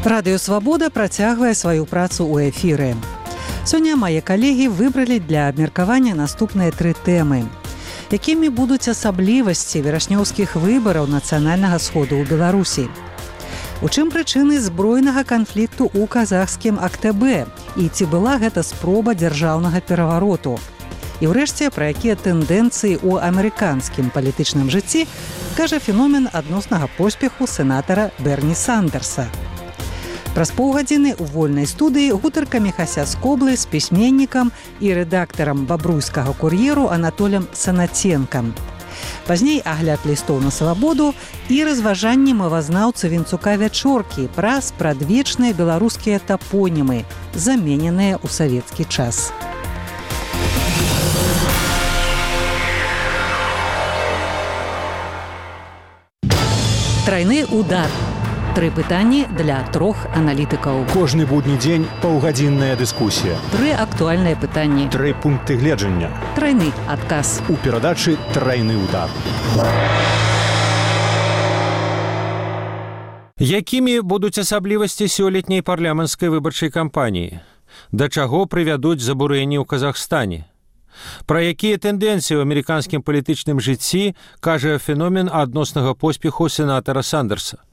Радыё Свабода працягвае сваю працу ў эфіры. Сёння мае калегі выбралі для абмеркавання наступныя 3 тэмы. Якімі будуць асаблівасці верашнёўскіх выбараў нацыянальнага сходу ў Беларусі? У чым прычыны збройнага канфлікту ў казахскім Актабе? І ці была гэта спроба дзяржаўнага перавароту? І ўрэшце, пра якія тэндэнцыі ў амерыканскім палітычным жыцці кажа феномен адноснага поспеху сенатара Берні Сандерса. Праз паўгадзіны ў вольнай студыі гутарка Міхася Скоблы з пісьменнікам і рэдактарам бабруйскага кур'еру Анатолем Санаценкам. Пазней агляд лістоў на свабоду і разважанні мовазнаўцы Вінцука Вячоркі пра спрадвечныя беларускія тапонімы, замененыя ў савецкі час. Трайны удар. 3 пытанні для 3 аналітыкаў. Кожны будні дзень паўгадзінная дыскусія. 3 актуальныя пытанні. 3 пункты гледжання. Трайны адказ. У перадачы «Трайны удар». Якімі будуць асаблівасці сёлетняй парламенцкай выбарчай кампаніі? Да чаго прывядуць забурэнні ў Казахстане? Пра якія тэндэнцыі ў амерыканскім палітычным жыцці кажа феномен адноснага поспеху сенатара Сандерса?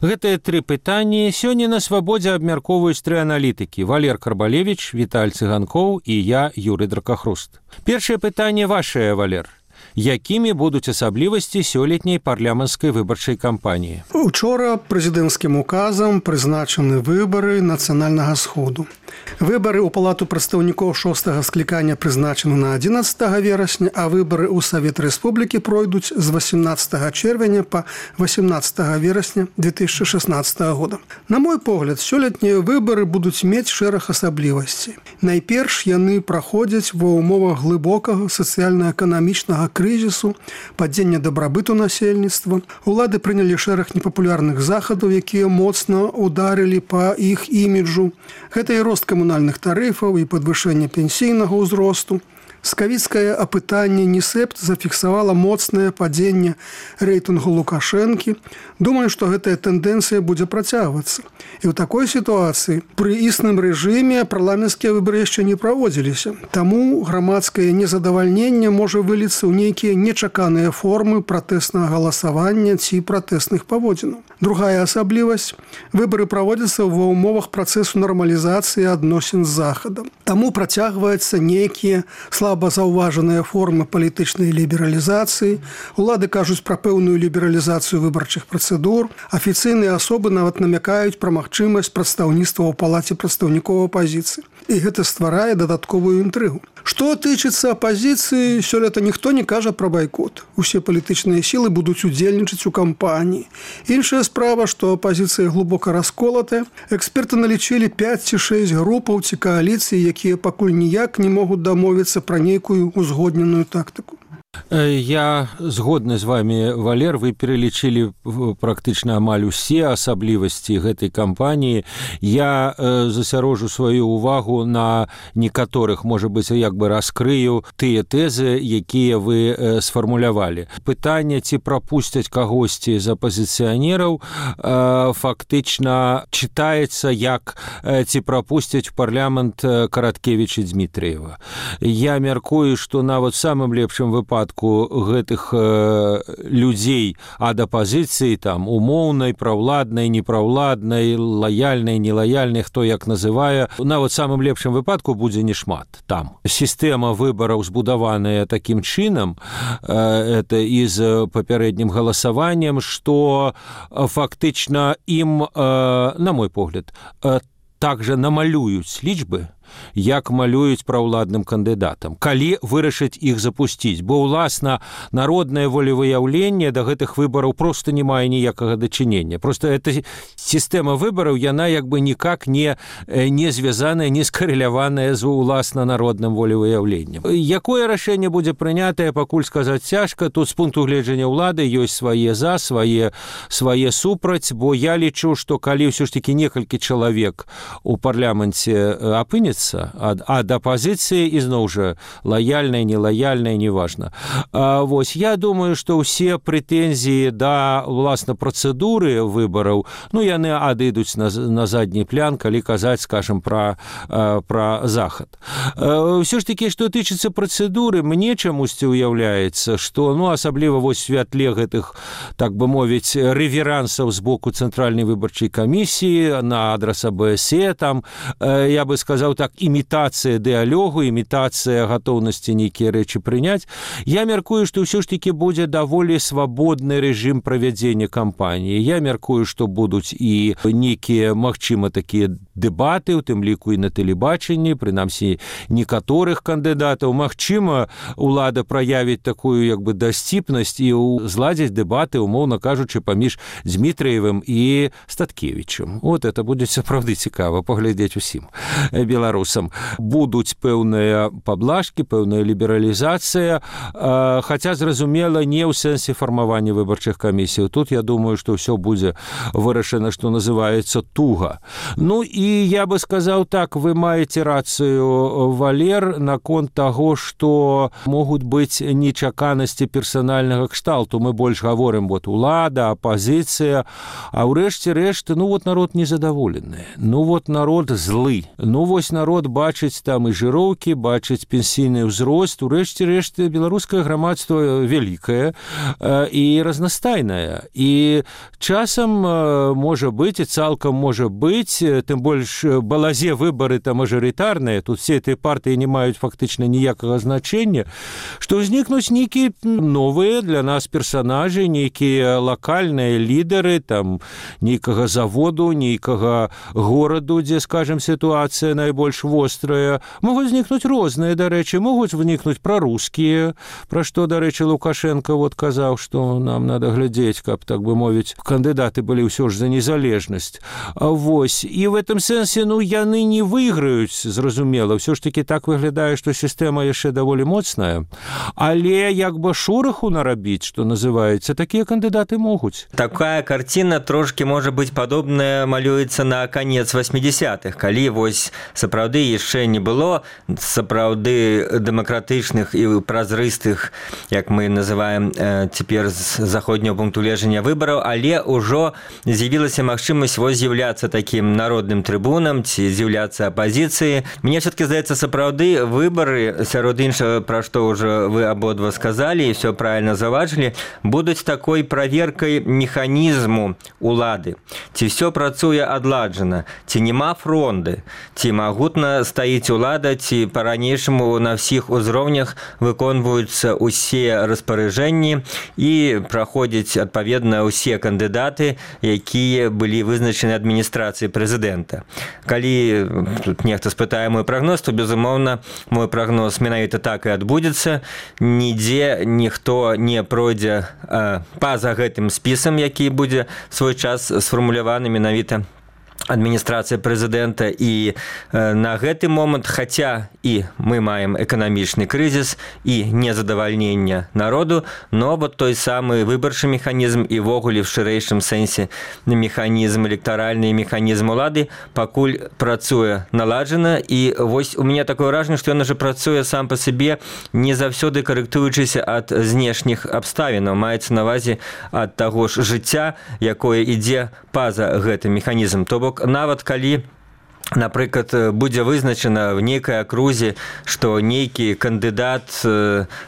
Гэтыя 3 пытанні сёння на свабодзе абмяркоўваюць 3 аналітыкі: Валер Карбалевіч, Віталь Цыганкоў і я, Юрый Дракахруст. Першае пытанне вашае, Валер. Якімі будуць асаблівасці сёлетняй парламенцкай выбарчай кампаніі? Учора прэзідэнцкім указам прызначаны выбары нацыянальнага сходу. Выбары ў палату прадстаўнікоў 6-га склікання прызначаны на 11 верасня, а выбары ў Савет Рэспублікі пройдуць з 18 чэрвеня па 18 верасня 2016 года. На мой погляд, сёлетнія выбары будуць мець шэраг асаблівасцей. Найперш яны праходзяць ва ўмовах глыбокага сацыяльна-эканамічнага крызісу, падзення дабрабыту насельніцтва. Улады прынялі шэраг непапулярных захадаў, якія моцна ударылі па іх іміджу. Гэта і рост камунальных тарыфаў і падвышэнне пенсійнага ўзросту. Скавіцкае апытанне НІСЭПТ зафіксавала моцнае падзенне рэйтынгу Лукашэнкі. Думаю, што гэтая тэндэнцыя будзе працягвацца. І ў такой сітуацыі пры існым рэжыме парламенцкія выбары яшчэ не праводзіліся. Таму грамадскае незадавальненне можа выліцца ў нейкія нечаканыя формы пратэснага галасавання ці пратэсных паводзінаў. Другая асаблівасць – выбары праводзяцца ва ўмовах працэсу нармалізацыі адносін з Захадам. Таму працягваюцца нейкія слаба заўважаныя формы палітычнай лібералізацыі. Улады кажуць пра пэўную лібералізацыю выбарчых працэдур. Афіцыйныя асобы нават намякаюць пра магчымасць прадстаўніцтва ў палаце прадстаўнікоў апазіцыі. І гэта стварае дадатковую інтрыгу. Што тычыцца апазіцыі, сёлета ніхто не кажа пра байкот. Усе палітычныя сілы будуць удзельнічаць у кампаніі. Іншая справа, што апазіцыя глыбока расколатая. Эксперты налічылі 5 ці 6 групаў ці кааліцый, якія пакуль ніяк не могуць дамовіцца пра нейкую узгодненую тактыку. Я згодны з вами, Валер, вы пералічылі практычна амаль усе асаблівасці гэтай кампаніі. Я засярожу сваю увагу на некаторых, можа быць, як бы раскрыю тыя тэзы, якія вы сфармулявалі. Пытанне, ці прапусцяць кагосьці з апазіцыянераў, фактычна чытаецца як ці прапусцяць у парламент Караткевіча Дмітрыева. Я мяркую, што нават самым лепшым выпадку гэтых людзей ад апазіцыі, там, умоўнай, праўладнай, непраўладнай, лаяльнай, нелаяльнай, хто як называе, нават самым лепшым выпадку будзе нешмат там. Сістэма выбараў збудаваная такім чынам, это і з папярэднім галасаваннем, што фактычна ім, на мой погляд, также намалююць лічбы, як малююць праўладным кандыдатам, калі вырашаць іх запусціць. Бо, уласна, народнае волевыяўленне да гэтых выбараў проста не мае ніякага дачынення. Просто эта сістэма выбараў, яна як бы никак не звязаная, не скарэляваная з уласна народным волевыяўленнем. Якое рашэнне будзе прынятае, пакуль сказаць цяжка. Тут з пункту гледжання ўлады ёсць свае за, свае супраць, бо я лічу, што калі ўсё ж такі некалькі чалавек у парламенце апынецца, адмовіцца ад апазіцыі, ізноў жа лаяльная, нелаяльная, неважна. Вось, я думаю, што ўсе прэтэнзіі да, уласна, працэдуры выбараў, яны адыдуць на задні план, калі казаць, скажем, пра захад. Ўсё ж такі, што тычыцца працэдуры, мне чамусьці ўяўляецца, што, асабліва вось святле гэтых, так бы мовіць, рэверансаў з боку Цэнтральнай выбарчай камісіі на адрас АБСЕ, там, я бы сказаў так, імітацыя дыалогу, імітацыя гатоўнасці нейкія рэчы прыняць. Я мяркую, што ўсё ж такі будзе даволі свабодны рэжым правядзення кампаніі. Я мяркую, што будуць і нейкія, магчыма, такія дэбаты, у тым ліку і на тэлебачанні, прынамсі, некаторых кандыдатаў. Магчыма, улада праявіць такую, як бы, дасціпнасць і зладзіць дэбаты, умоўна кажучы, паміж Дзмітрыевым і Статкевічем. Вот это будзе сапраўды цікава паглядзець усім беларусам. Будуць пэўныя паблажкі, пэўная лібералізацыя, хаця, зразумела, не ў сэнсе фармавання выбарчых камісій. Тут, я думаю, што ўсё будзе вырашана, што называецца, туга. І я бы сказаў так, вы маеце рацыю, Валер, наконт таго, што могуць быць нечаканасці персанальнага кшталту. Мы больш гаворым, улада, апазіцыя, а ўрэшце рэшт, народ незадаволены. Народ злы. Вось народ бачыць там і жыроўкі, бачыць пенсійны ўзрост. Урэшце рэшт, беларускае грамадства вялікае і разнастайнае. І часам можа быць, і цалкам можа быць, тым больш балазе выбары там мажарытарныя, тут все эти партыі не маюць фактычна ніякага значення, што ўзнікнуць нейкія новыя для нас персанажы, нейкія лакальныя лідары, там нейкага заводу, нейкага гораду, дзе, скажем, сітуацыя найбольш вострая. Могуць знікнуць розныя, дарэчы, могуць вынікнуць прарускія, пра што, дарэчы, Лукашенко казаў, што нам надо глядзець, каб, так бы мовіць, кандыдаты былі ўсё ж за незалежнасць. Вось, і в этом сэнсе, яны не выйграюць, зразумела. Ўсё ж такі так выглядае, што сістэма яшчэ даволі моцная. Але як бы шораху нарабіць, што называецца, такія кандыдаты могуць. Такая карціна трошкі можа быць падобная, малюецца на канец 80-х, калі вось сапраўды яшчэ не было сапраўды дэмакратычных і празрыстых, як мы называем цяпер з заходняго пункту гледжання выбараў, але ўжо з'явілася магчымасць вось з'яўляцца такім народным трыбунам ці з'яўляцца апазіцыі. Мне все-таки здаецца, сапраўды выбары, сярод іншага, пра што ўжо вы абодва сказалі і все правильно заўважылі, будуць такой праверкай механізму улады. Ці все працуе адладжана, ці няма фронды, ці магутна стаіць улада, ці па-ранейшаму на ўсіх узроўнях выконваюцца ўсе распараджэнні і праходзяць адпаведна ўсе кандыдаты, якія былі вызначаны адміністрацыяй прэзідэнта. Калі тут нехта спытае мой прагноз, то, безумоўна, мой прагноз менавіта так і адбудзецца. Нідзе ніхто не пройдзе па-за гэтым спісам, які будзе свой час сфармуляваны менавіта адміністрацыя прэзідэнта. І на гэты момант, хаця і мы маем эканамічны крызіс і незадавальнення народу, но вот той самы выбарчы механізм і ввогуле в шырэйшым сэнсе механізм, электаральны механізм улады пакуль працуе наладжана. І вось у мяне такое ўражанне, што ён уже працуе сам па сабе, не заўсёды карэктуючыся ад знешніх абставінаў, маецца на ўвазе ад таго ж жыцця, якое ідзе па-за гэты механізм. То бок, нават калі, напрыклад, будзе вызначана в нейкай акрузе, што нейкі кандыдат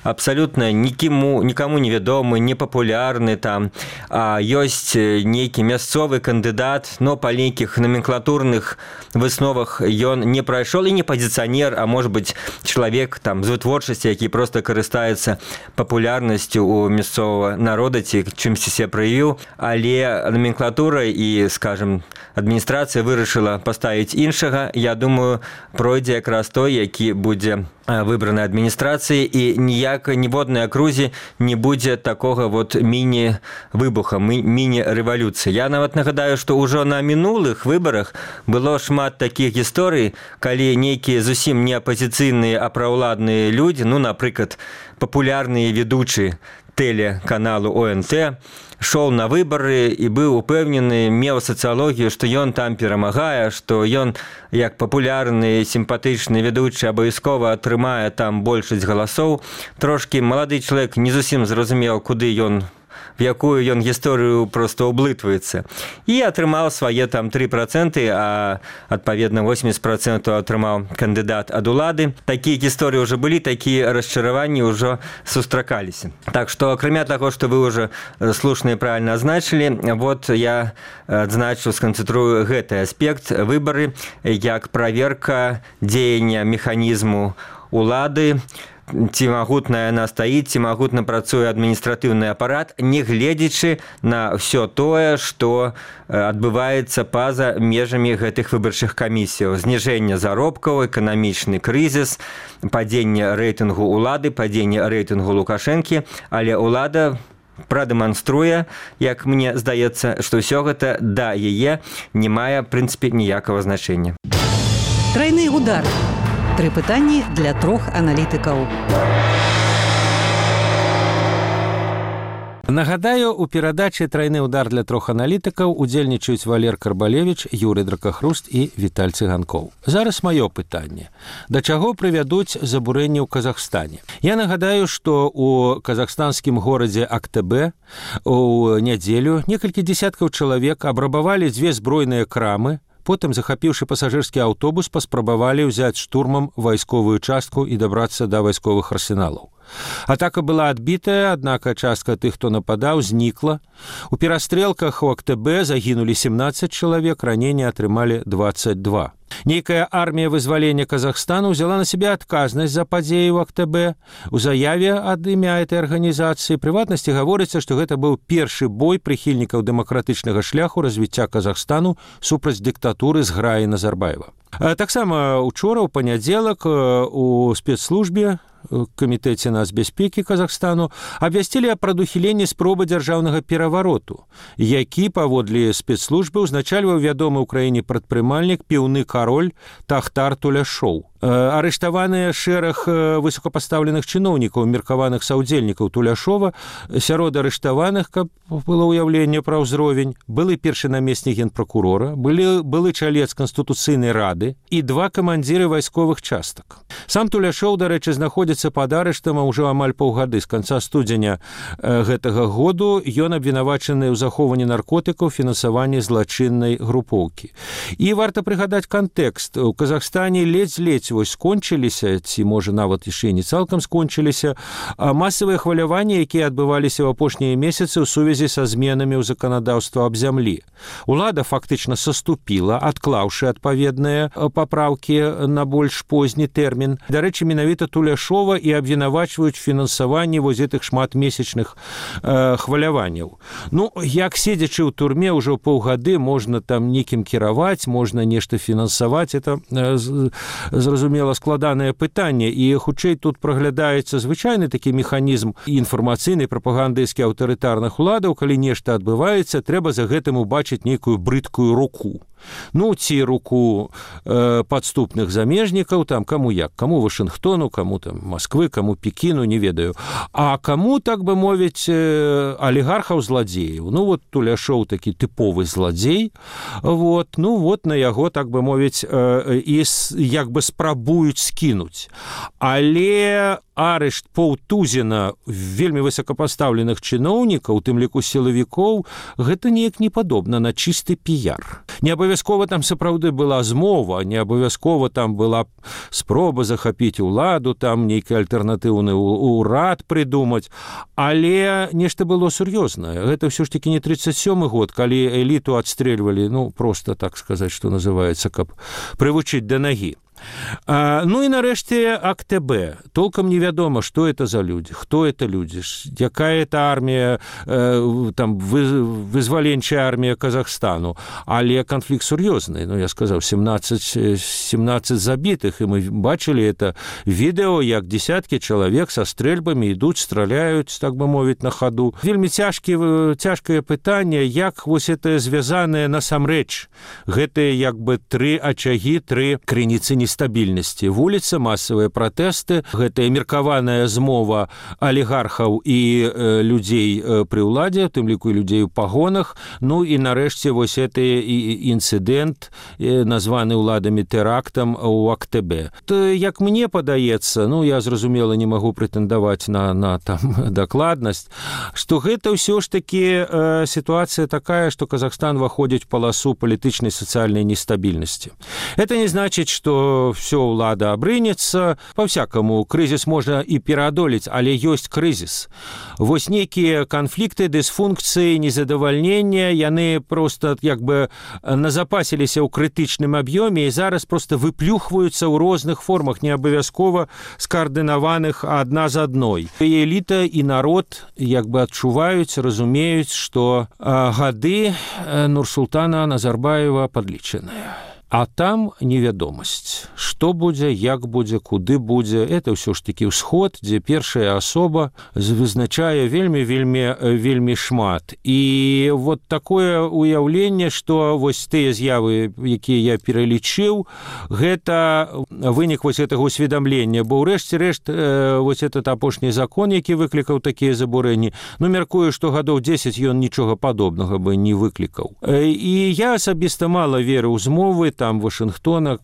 абсалютна нікаму невядомы, непапулярны там, а ёсць нейкі мясцовы кандыдат, но па нейкіх номенклатурных высновах ён не прайшоў і не пазіцыянер, а можа быць чалавек там з вытворчасці, які проста карыстаецца папулярнасцю у мясцовага народа ці чымсьці себе праявіў, але номенклатура і, скажем, адміністрацыя вырашыла паставіць іншага. Я думаю, пройдзе якраз той, які будзе выбраны адміністрацыі, і ніводнай акрузе не будзе такога вот міні-выбуха, міні-рэвалюцыі. Я нават нагадаю, што ўжо на мінулых выбарах было шмат такіх гісторый, калі нейкія зусім не апазіцыйныя, а праўладныя людзі, напрыклад, папулярныя ведучы тэлеканалу ОНТ, шоў на выбары і быў упэўнены, меў сацыялогію, што ён там перамагае, што ён як папулярны, сімпатычны ведучы абавязкова атрымае там большасць галасоў. Трошкі малады чалавек не зусім зразумеў, куды ён, в якую ён гісторыю просто ўблытваецца. І атрымаў свае там 3%, а адпаведна 80% атрымаў кандыдат ад улады. Такія гісторыі ўжо былі, такія расчараванні ўжо сустракаліся. Так што, акрамя таго, што вы ўжо слушна і правільна азначылі, вот я адзначу, сканцэнтрую гэты аспект выбары як праверка дзеяння механізму улады, ці магутна яна стаіць, ці магутна працуе адміністратыўны апарат, не гледзячы на ўсё тое, што адбываецца па-за межамі гэтых выбарчых камісіяў. Зніжэнне заробкаў, эканамічны крызіс, падзенне рэйтынгу улады, падзенне рэйтынгу Лукашэнкі, але ўлада прадэманструе, як мне здаецца, што ўсё гэта да яе не мае, в прынцыпе, ніякага значэння. Трайны удар. 3 пытанні для 3 аналітыкаў. Нагадаю, у перадачы «Трайны удар» для 3 аналітыкаў удзельнічаюць Валер Карбалевіч, Юрый Дракахруст і Віталь Цыганкоў. Зараз маё пытанне. Да чаго прывядуць забурэнні ў Казахстане? Я нагадаю, што у казахстанскім горадзе Актабе у нядзелю некалькі дзесяткаў чалавек абрабавалі 2 збройныя крамы, потым, захапіўшы пасажырскі аўтобус, паспрабавалі ўзяць штурмам вайсковую частку і дабрацца да вайсковых арсеналаў. Атака была адбітая, аднак частка тых, хто нападаў, знікла. У перастрэлках у Актабе загінулі 17 чалавек, раненні атрымалі 22. Нейкая армія вызвалення Казахстану ўзяла на сябе адказнасць за падзеі ў Актабе. У заяве ад імя этой арганізацыі прыватнасці гаворыцца, што гэта быў першы бой прыхільнікаў дэмакратычнага шляху развіцця Казахстану супраць дыктатуры зграі Назарбаева. Таксама учора, у панядзелак, у спецслужбе камітэце нацбяспекі Казахстану абвясцілі аб прадухіленні спробы дзяржаўнага перавароту, які, паводле спецслужбы, узначальваў вядомы ў краіне прадпрымальнік піўны кароль Тахтар Туляшоў. Арыштаваныя шэраг высокапастаўленых чыноўнікаў, меркаваных саўдзельнікаў Туляшова. Сярод арыштаваных, каб было ўяўленне пра ўзровень, былы першы намеснік генпракурора, былы чалец Канстытуцыйнай рады і 2 камандзіры вайсковых частак. Сам Туляшоў, дарэчы, знаходзіцца пад арыштам ўжо амаль паўгады. З канца студзеня гэтага году ён абвінавачаны ў захоўванні наркотыкаў, фінансаванні злачыннай групоўкі. І варта прыгадаць кантэкст. У Казахстане ледзь вось скончыліся, ці, можа, нават яшчэ не цалкам скончыліся, масавыя хваляванні, якія адбываліся ў апошнія месяцы ў сувязі са зменамі ў заканадаўства аб зямлі. Улада фактычна саступіла, адклаўшы адпаведныя папраўкі на больш позні тэрмін. Дарэчы, менавіта Туляшова і абвінавачваюць фінансаванні вось гэтых шматмесячных хваляванняў. Ну, як седзячы ў турме ўжо паўгады, можна там некім кіраваць, можна нешта фінансаваць, это зразумела складанае пытанне, і хутчэй тут праглядаецца звычайны такі механізм інфармацыйнай прапагандысцкі аўтарытарных уладаў. Калі нешта адбываецца, трэба за гэтым убачыць нейкую брыдкую руку. Ну, ці руку падступных замежнікаў, там, каму як, каму Вашынгтону, каму там Масквы, каму Пекіну, не ведаю. А каму, так бы мовіць, алігархаў-зладзеяў. Ну, вот Туляшоў такі тыповы зладзей. Вот, ну, вот на яго, так бы мовіць, і як бы спрабуюць скінуць. Але арышт паўтузіна вельмі высокапастаўленых чыноўнікаў, у тым ліку сілавікоў, гэта неяк не падобна на чысты піяр. Не абавязкова там сапраўды была змова, не абавязкова там была спроба захапіць уладу, там нейкі альтэрнатыўны ўрад прыдумаць, але нешта было сур'ёзнае. Гэта ўсё ж такі не 37-й год, калі эліту адстрэльвалі, ну, просто, так сказаць, што называецца, каб прывучыць да нагі. Ну і нарэшце Актабе. Толкам невядома, што это за людзі, хто это людзі, якая это армія, там, вызваленчая армія Казахстану. Але канфлікт сур'ёзны. Ну, я сказаў, 17 забітых, і мы бачылі это відэо, як десяткі чалавек са стрэльбамі ідуць, страляюць, так бы мовіць, на хаду. Вельмі цяжкае пытанне, як вось это звязанае насамрэч. Гэтыя як бы 3 ачагі, 3 крыніцы нестабільнасці. нестабільнасці. Вуліца, масавыя пратэсты, гэтая меркаваная змова алігархаў і людзей пры ўладзе, у тым ліку людзей у пагонах. Ну і нарэшце вось гэты інцыдэнт, названы ўладамі тэрактам у Актабе. То, як мне падаецца, ну я зразумела не магу прэтэндаваць на там дакладнасць, што гэта ўсё ж такі сітуацыя такая, што Казахстан выходзіць в паласу палітычнай сацыяльнай нестабільнасці. Это не значит, что все ўлада абрынецца. По-всякому, крызіс можна і пераадолець, але ёсць крызіс. Вось нейкія канфлікты, дысфункцыі, незадавальнення, яны просто як бы назапасіліся ў крытычным аб'ёме і зараз просто выплюхваюцца ў розных формах, не абавязкова скаардынаваных адна з адной. І эліта і народ як бы адчуваюць, разумеюць, што гады Нурсултана Назарбаева падлічаныя. А там невядомасць. Што будзе, як будзе, куды будзе. Это ўсё ж такі ўсход, дзе першая асоба вызначае вельмі шмат. І вот такое уяўленне, што вось тыя з'явы, якія я пералічыў, гэта вынік вось гэтага усведамлення. Бо ўрэшце рэшт вось этот апошні закон, які выклікаў такія забурэнні, ну, мяркую, што гадоў 10 ён нічога падобнага бы не выклікаў. І я асабіста мала веру ў змовы, там Вашингтона,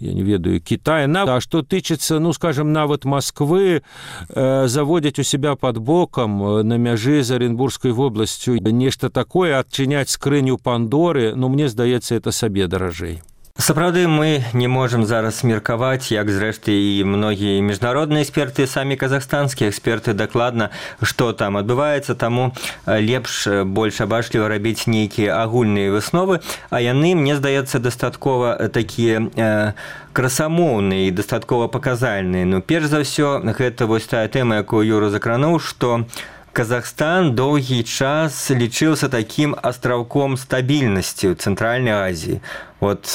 я не ведаю, Китая. А что тычыцца, ну, скажем, нават Москвы, заводзяць у себя под боком на мяжы з Оренбургской вобласцю нешта такое, адчыняць скрыню Пандоры, ну, мне здаецца, это сабе даражэй. Сапраўды, мы не можам зараз меркаваць, як зрэшты і многія міжнародныя эксперты, самі казахстанскія эксперты дакладна, што там адбываецца, таму лепш больш абачліва рабіць нейкія агульныя высновы, а яны, мне здаецца, дастаткова такія красамоўныя і дастаткова паказальныя. Ну, перш за ўсё, гэта вось тая тэма, якую Юра закрануў, што Казахстан доўгі час лічыўся такім астраўком стабільнасці ў Цэнтральнай Азіі. Вот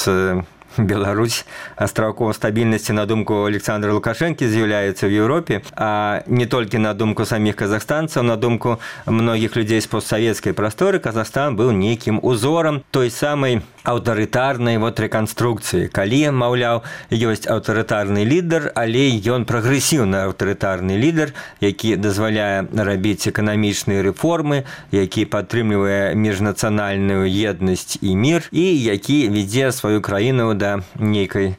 Беларусь астраўком стабільнасці, на думку Александра Лукашэнкі, з'яўляецца ў Еўропе, а не толькі на думку саміх казахстанцаў, на думку многіх людзей з постсавецкай прасторы, Казахстан быў нейкім узорам той самай аўтарытарнай рэканструкцыі. Калі, маўляў, ёсць аўтарытарны лідар, але ён прагрэсіўны аўтарытарны лідар, які дазваляе рабіць эканамічныя рэформы, які падтрымлівае міжнацыянальную еднасць і мір, і які вядзе сваю краіну да нейкай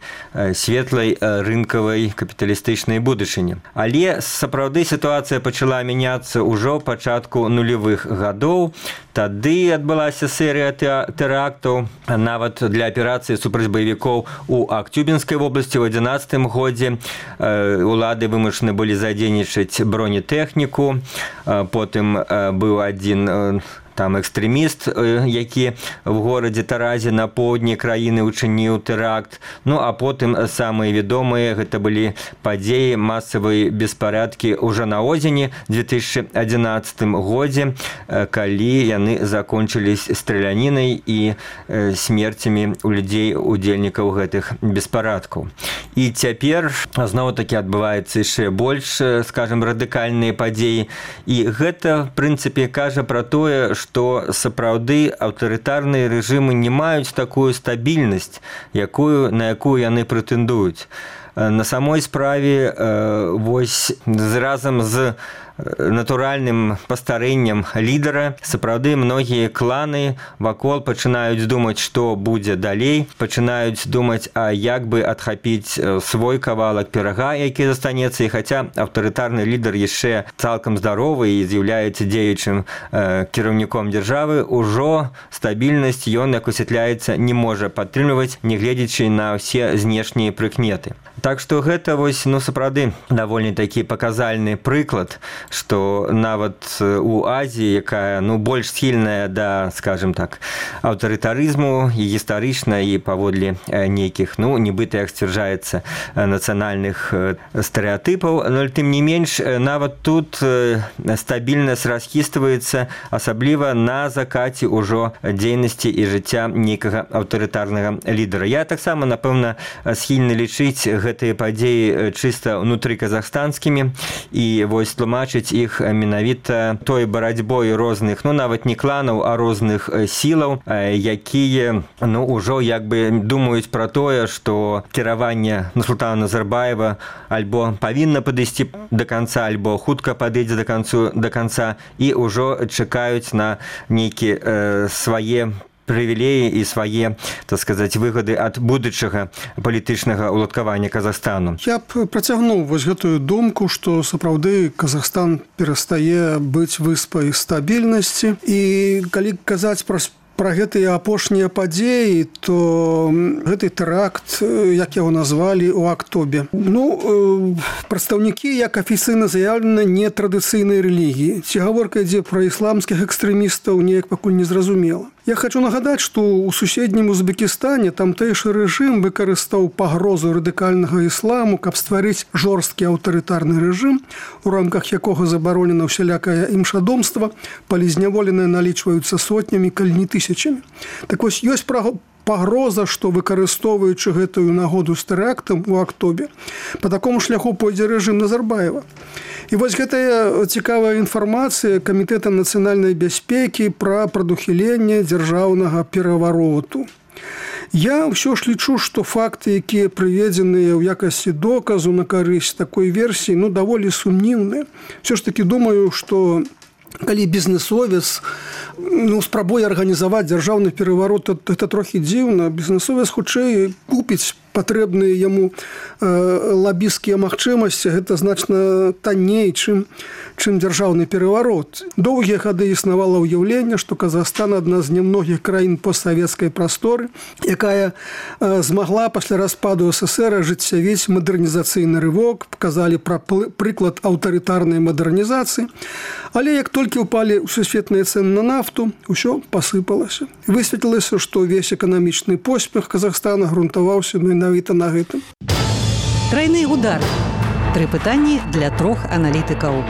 светлай рынкавай капіталістычнай будучыні. Але сапраўды сітуацыя пачала мяняцца ўжо пачатку нулявых гадоў. Тады адбылася серыя тэрактаў, нават для аперацыі супраць баевікоў у Актюбінскай вобласці ў 2011 годзе. Улады вымушаны былі задзейнічаць бронетэхніку, потым быў адзін там экстрэміст, які в горадзе Таразе на поўдні краіны учыніў тэракт. Ну, а потым самыя вядомыя гэта былі падзеі, масавыя беспарадкі ўжо на осені 2011 годзе, калі яны закончылись стралянінай і смерцямі у людзей, удзельнікаў гэтых беспарадкаў. І цяпер зноў-такі адбываецца яшчэ больш, скажем, радыкальныя падзеі. І гэта, в прынцыпе, кажа пра тое, што сапраўды аўтарытарныя рэжымы не маюць такую стабільнасць, на якую яны прэтэндуюць. На самой справе, вось разам з натуральным пастарэннем лідара, сапраўды многія кланы вакол пачынаюць думаць, што будзе далей, пачынаюць думаць, а як бы адхапіць свой кавалак пірага, які застанецца. І хаця аўтарытарны лідар яшчэ цалкам здаровы і з'яўляецца дзеючым кіраўніком дзяржавы, ужо стабільнасць ён, як высвятляецца, не можа падтрымліваць, нягледзячы на ўсе знешнія прыкметы. Так што гэта вось, ну, сапраўды даволі такі паказальны прыклад, што нават у Азіі, якая, ну, больш схільная да, скажем так, аўтарытарызму і гістарычна, і паводле нейкіх, ну, нібыта, як сцвярджаецца, нацыянальных стэрэатыпаў, але тым не менш, нават тут стабільнасць расхістваецца, асабліва на закаце ўжо дзейнасці і жыцця нейкага аўтарытарнага лідара. Я таксама, напэўна, схільны лічыць гэтыя падзеі чыста ўнутры казахстанскімі і вось тлумачыць іх менавіта той барацьбой розных, нават не кланаў, а розных сілаў, якія ўжо як бы думаюць пра тое, што кіраванне Нурсултана Назарбаева альбо павінна падысці да канца, альбо хутка падыдзе да канца і ўжо чакаюць на нейкія свае прывілеі і свае, так сказаць, выгады ад будучага палітычнага ўладкавання Казахстану. Я б працягнуў вось гэтую думку, што сапраўды Казахстан перастае быць выспай стабільнасці. І калі казаць пра гэтыя апошнія падзеі, то гэты тэракт, як яго назвалі, у Актобе. Прадстаўнікі, як афіцыйна заяўлена, нетрадыцыйнай рэлігіі. Ці гаворка ідзе пра ісламскіх экстрэмістаў, неяк пакуль незразумела. Я хочу нагадаць, што ў суседнім Узбекістане тамтэйшы рэжым выкарыстаў пагрозу радыкальнага ісламу, каб стварыць жорсткі аўтарытарны рэжым, у рамках якога забаронена ўсялякае імшадомства, палізняволеныя налічваюцца сотнямі, калі не тысячамі. Так вось, ёсць пагроза, што выкарыстоўваючы гэтую нагоду з тэрактам у Актобе, па такому шляху пойдзе рэжым Назарбаева. І вось гэтая цікавая інфармацыя Камітэта нацыянальнай бяспекі пра прадухіленне дзяржаўнага перавароту. Я ўсё ж лічу, што факты, якія прыведзеныя ў якасці доказу на карысць такой версіі, даволі сумнівныя. Усё ж такі думаю, што калі бізнесовец спрабуе арганізаваць дзяржаўны пераварот, это трохі дзіўна. Бізнесовец хутчэй купіць патрэбныя яму лабісцкія магчымасці, гэта значна танней, чым дзяржаўны пераварот. Доўгія гады існавала ўяўленне, што Казахстан адна з немногіх краін постсавецкай прасторы, якая змагла пасля распаду СССР ажыццявіць мадэрнізацыйны рывок, паказалі пра прыклад аўтарытарнай мадэрнізацыі. Але як толькі ўпалі сусветныя цэны на нафту, усё пасыпалася. Высветлілася, што ўвесь эканамічны поспех Казахстана грунтаваўся менавіта на гэтым. Трайны удар. 3 пытанні для 3 аналітыкаў.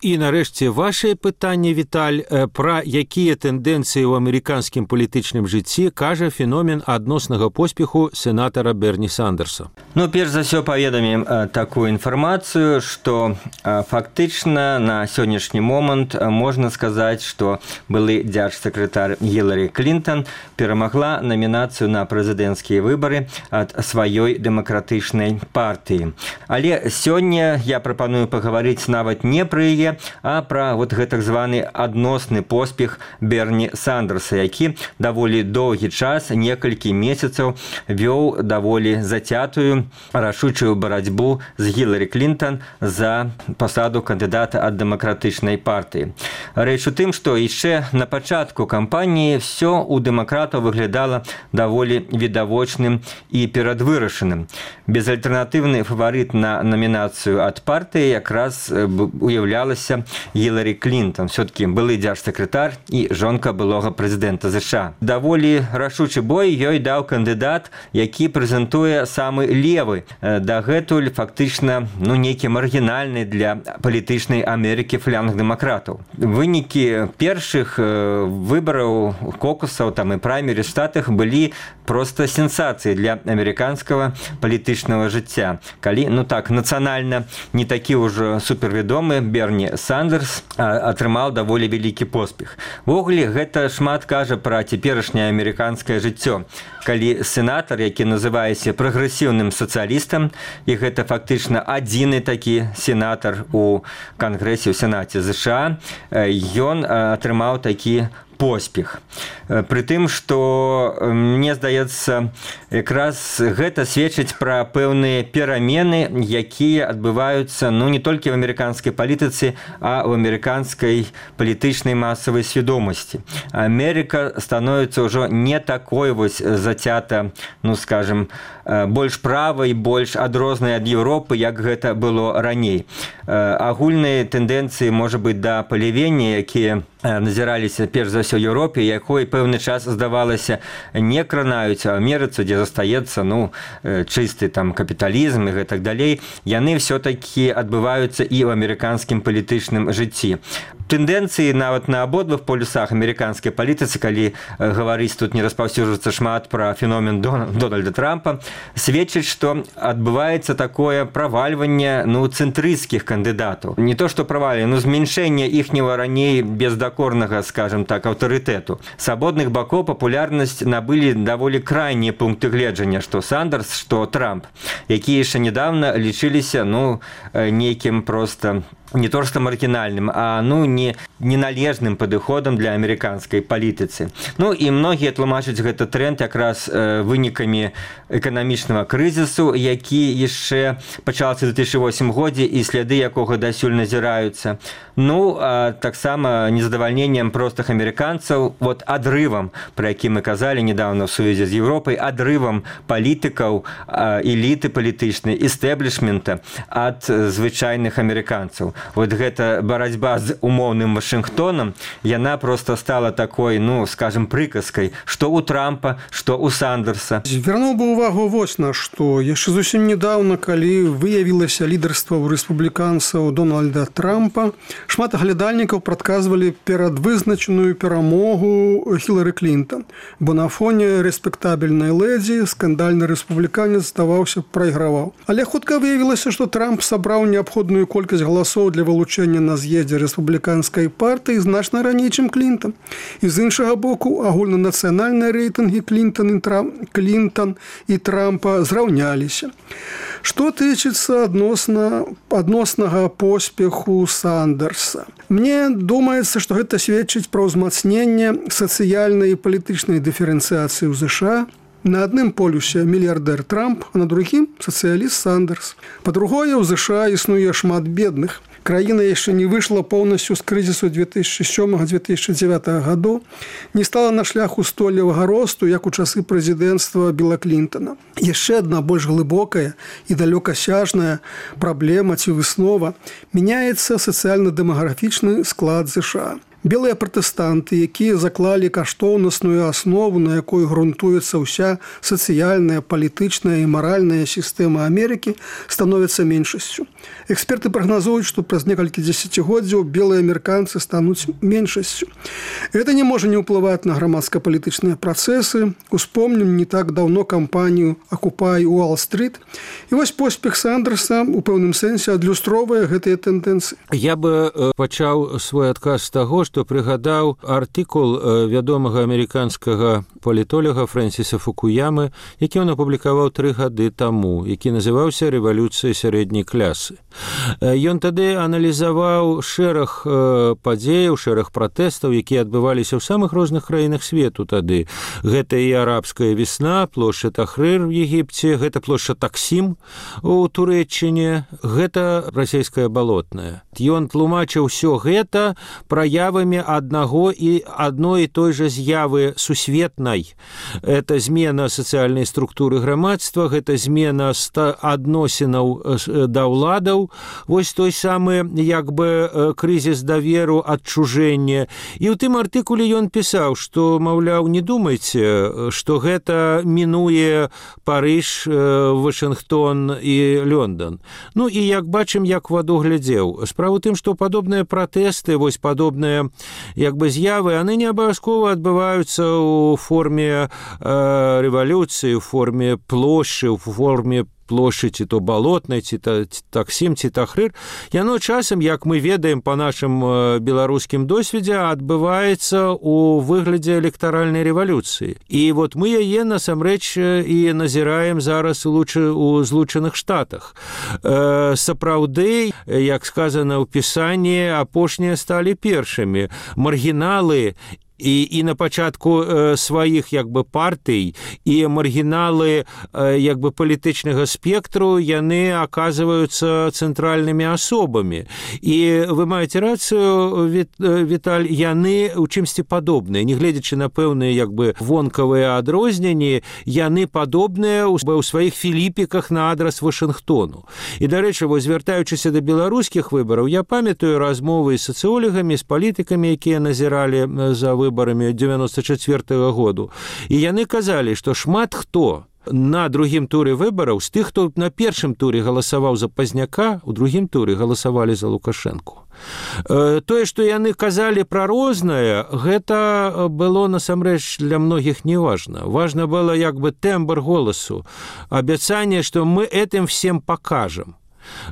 І нарэшце вашае пытанне, Віталь, пра якія тэндэнцыі ў амерыканскім палітычным жыцці кажа феномен адноснага поспеху сенатара Берні Сандерса. Перш за ўсё паведамім такую інфармацыю, што фактычна на сённяшні момант можна сказаць, што былы дзяржсакратар Гіларі Клінтон перамагла намінацыю на прэзідэнцкія выбары ад сваёй дэмакратычнай партыі. Але сёння я прапаную пагаварыць нават не пра яе, а пра гэтак званы адносны поспех Берні Сандерса, які даволі доўгі час, некалькі месяцаў, вёў даволі зацятую, рашучую барацьбу з Гіларі Клінтон за пасаду кандыдата ад дэмакратычнай партыі. Рэч у тым, што яшчэ на пачатку кампаніі ўсё ў дэмакратаў выглядала даволі відавочным і перадвырашаным. Безальтэрнатыўны фаварыт на намінацыю ад партыі якраз уяўлялася Гіларі Клінтон. Все-таки былы дзяржсакратар і жонка былога прэзідэнта США. Даволі рашучы бой ёй даў кандыдат, які прэзентуе самы левы, дагэтуль фактычна нейкі маргінальны для палітычнай Амерыкі фланг дэмакратаў. Вынікі першых выбараў, кокусаў і праймерыз в Штатах былі проста сенсацыі для амерыканскага палітычнага жыцця. Калі, нацыянальна не такі ўжо супервядомы Берні Сандерс атрымаў даволі вялікі поспех. Ввогуле, гэта шмат кажа пра цяперашняе амерыканскае жыццё. Калі сенатар, які называецца прагрэсіўным сацыялістам, і гэта фактычна адзіны такі сенатар у Кангрэсе, у Сенаце США, ён атрымаў такі поспех. Пры тым, што, мне здаецца, якраз гэта сведчыць пра пэўныя перамены, якія адбываюцца не толькі в амерыканскай палітыцы, а ў амерыканскай палітычнай масавай свядомасці. Амерыка становіцца ўжо не такой зацята, скажем, больш правай, больш адрознай ад Еўропы, як гэта было раней. Агульныя тэндэнцыі, можа быць, да палівення, якія назіраліся перш за ўсё Еўропе, якой пэўны час здавалася не кранаюць, а Амерыцы, дзе застаецца чысты там капіталізм і гэтак далей, яны ўсё-такі адбываюцца і ў амерыканскім палітычным жыцці. Тэндэнцыі нават на абодвух полюсах амерыканскай палітыцы, калі гаварыць тут не распаўсюджваецца шмат пра феномен Дональда Трампа, сведчыць, што адбываецца такое правальванне цэнтрысцкіх кандыдатаў. Не то што правальванне, змяншэнне іхняга раней бездакорнага, скажем так, аўтарытэту. С абодных бакоў папулярнасць набылі даволі крайнія пункты гледжання, што Сандерс, што Трамп, якія яшчэ нядаўна лічыліся нейкім проста не то што маргінальным, а неналежным падыходам для амерыканскай палітыцы. І многія тлумачаць гэта тренд якраз вынікамі эканамічнага крызісу, які яшчэ пачаўся ў 2008 годзе і сляды якога дасюль назіраюцца. А таксама незадавальненнем простых амерыканцаў, адрывам, пра які мы казалі недавно ў сувязі з Еўропай, адрывам палітыкаў, эліты палітычнай, эстэблішмента ад звычайных амерыканцаў. Гэта барацьба з умоўным Вашынгтонам, яна проста стала такой, скажем, прыказкай, што ў Трампа, што ў Сандерса. Звярнуў бы увагу вось на што. Яшчэ зусім недаўна, калі выявілася лідарства ў рэспубліканцаў Дональда Трампа, шмат аглядальнікаў прадказвалі перадвызначаную перамогу Хілары Клінтон, бо на фоне рэспектабельнай лэдзі скандальны рэспубліканец здаваўся прайграваў. Але хутка выявілася, што Трамп сабраў неабходную колькасць галасоў для вылучэння на з'ездзе рэспубліканскай партыі значна раней, чым Клінтон. І з іншага боку, агульнанацыянальныя рэйтынгі Клінтон і Трампа зраўняліся. Што тычыцца адноснага поспеху Сандерса. Мне думаецца, што гэта сведчыць пра ўзмацненне сацыяльнай і палітычнай дыферэнцыяцыі ў ЗША. На адным полюсе мільярдэр Трамп, а на другім сацыяліст Сандерс. Па-другое, у ЗША існуе шмат бедных. Краіна яшчэ не выйшла поўнасцю з крызісу 2007-2009 гадоў, не стала на шляху стойлівага росту, як у часы прэзідэнцтва Біла Клінтона. Яшчэ адна больш глыбокая і далёкасяжная праблема ці выснова мяняецца сацыяльна-дэмаграфічны склад ЗША. Белыя пратэстанты, якія заклалі каштоўнасную аснову, на якой грунтуецца ўся сацыяльная, палітычная і маральная сістэма Амерыкі, становяцца меншасцю. Эксперты прагназуюць, што праз некалькі дзесяцігоддзяў белыя амерыканцы стануць меншасцю. Гэта не можа не ўплываць на грамадска-палітычныя працэсы. Успомнім не так даўно кампанію «Акупай Уолл-стрит». І вось поспех Сандерса у пэўным сэнсе адлюстроўвае гэтыя тэндэнцыі. Я бы пачаў свой адказ з таго, што прыгадаў артыкул вядомага амерыканскага палітолага Фрэнсіса Фукуямы, які ён апублікаваў 3 гады таму, які называўся «Рэвалюцыя сярэдняй клясы». Ён тады аналізаваў шэраг падзеяў, шэраг пратэстаў, якія адбываліся ў самых розных краінах свету тады. Гэта і арабская весна, плошча Тахрыр в Егіпце, гэта плошча Таксім у Турэччыне, гэта расійская балотная. Ён тлумачыў усё гэта праявамі адной і той жа з'явы сусветнай. Это змена сацыяльнай структуры грамадства, гэта змена адносінаў да ўладаў, вось той самы крызіс даверу, адчужэння. І ў тым артыкуле ён пісаў, што, маўляў, не думайце, што гэта мінуе Парыж, Вашынгтон і Лондон. І як бачым, як ваду глядзеў. Справа ў тым, што падобныя пратэсты, вось падобныя з'явы, яны не абавязкова адбываюцца ў форме рэвалюцыі, у форме плошчы, у форме плошчы ці то балотнай, ці Таксім, ці Тахрыр. Яно часам, як мы ведаем па нашым беларускім досведзе, адбываецца ў выглядзе электаральнай рэвалюцыі. І вот мы яе насамрэч і назіраем зараз у Злучаных Штатах. Сапраўды, як сказана ў пісанні, апошнія сталі першымі. Маргіналы і на пачатку сваіх як бы партый, і маргіналы як бы палітычнага спектру, яны аказваюцца цэнтральнымі асобамі. І вы маеце рацыю, Віталь, яны ў чымсьці падобныя, не гледзячы на пэўныя як бы вонкавыя адрозненні, яны падобныя ў сваіх філіпіках на адрас Вашынгтону. І, дарэчы, вось, звяртаючыся да беларускіх выбараў, я памятаю размовы з сацыёлагамі, з палітыкамі, якія назіралі за выбарамі 94-го году. І яны казалі, што шмат хто на другім туры выбараў з тых, хто на першым туры галасаваў за Пазняка, у другім туры галасавалі за Лукашэнку. Тое, што яны казалі пра рознае, гэта было насамрэч для многіх не важна. Важна было як бы тэмбр голасу, абяцанне, што мы этим всем покажем.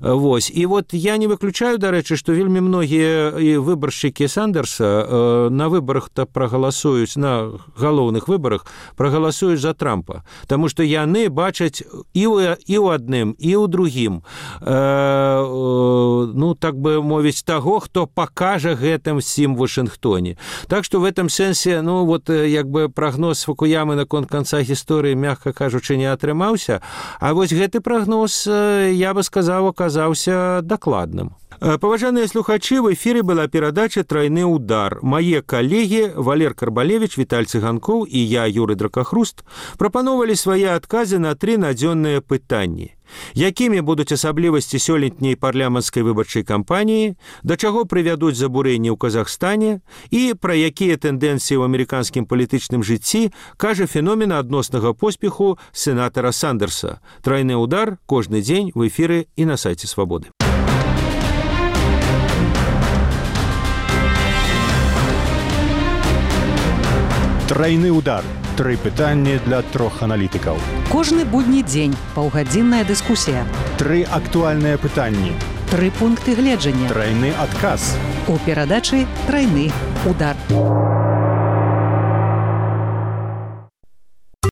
Вось. І вот я не выключаю, дарэчы, што вельмі многія выбаршчыкі Сандерса на выбарах-то прагаласуюць, на галоўных выбарах прагаласуюць за Трампа, таму што яны бачаць і ў адным, і ў другім, ну, так бы мовіць, таго, хто пакажа гэтым всім в Вашынгтоне. Так што в этом сэнсе, ну, вот, як бы прагноз Фукуямы наконт канца гісторыі, мякка кажучы, не атрымаўся, а вось гэты прагноз, я бы сказаў, оказаўся дакладным. Паважаныя слухачы, в эфіры была перадача «Трайны удар». Мае калегі Валер Карбалевіч, Віталь Цыганкоў і я, Юрый Дракахруст, прапановалі свае адказы на 3 надзённыя пытанні. Якімі будуць асаблівасці сёлетняй парламенцкай выбарчай кампаніі, да чаго прывядуць забурэнні ў Казахстане і пра якія тэндэнцыі ў амерыканскім палітычным жыцці кажа феномен адноснага поспеху сенатара Сандерса. «Трайны удар» кожны дзень в эфіры і на сайце Свабоды. Трайны удар. 3 пытанні для 3 аналітыкаў. Кожны будні дзень паўгадзінная дыскусія. 3 актуальныя пытанні. 3 пункты гледжання. Трайны адказ. У перадачы «Трайны удар».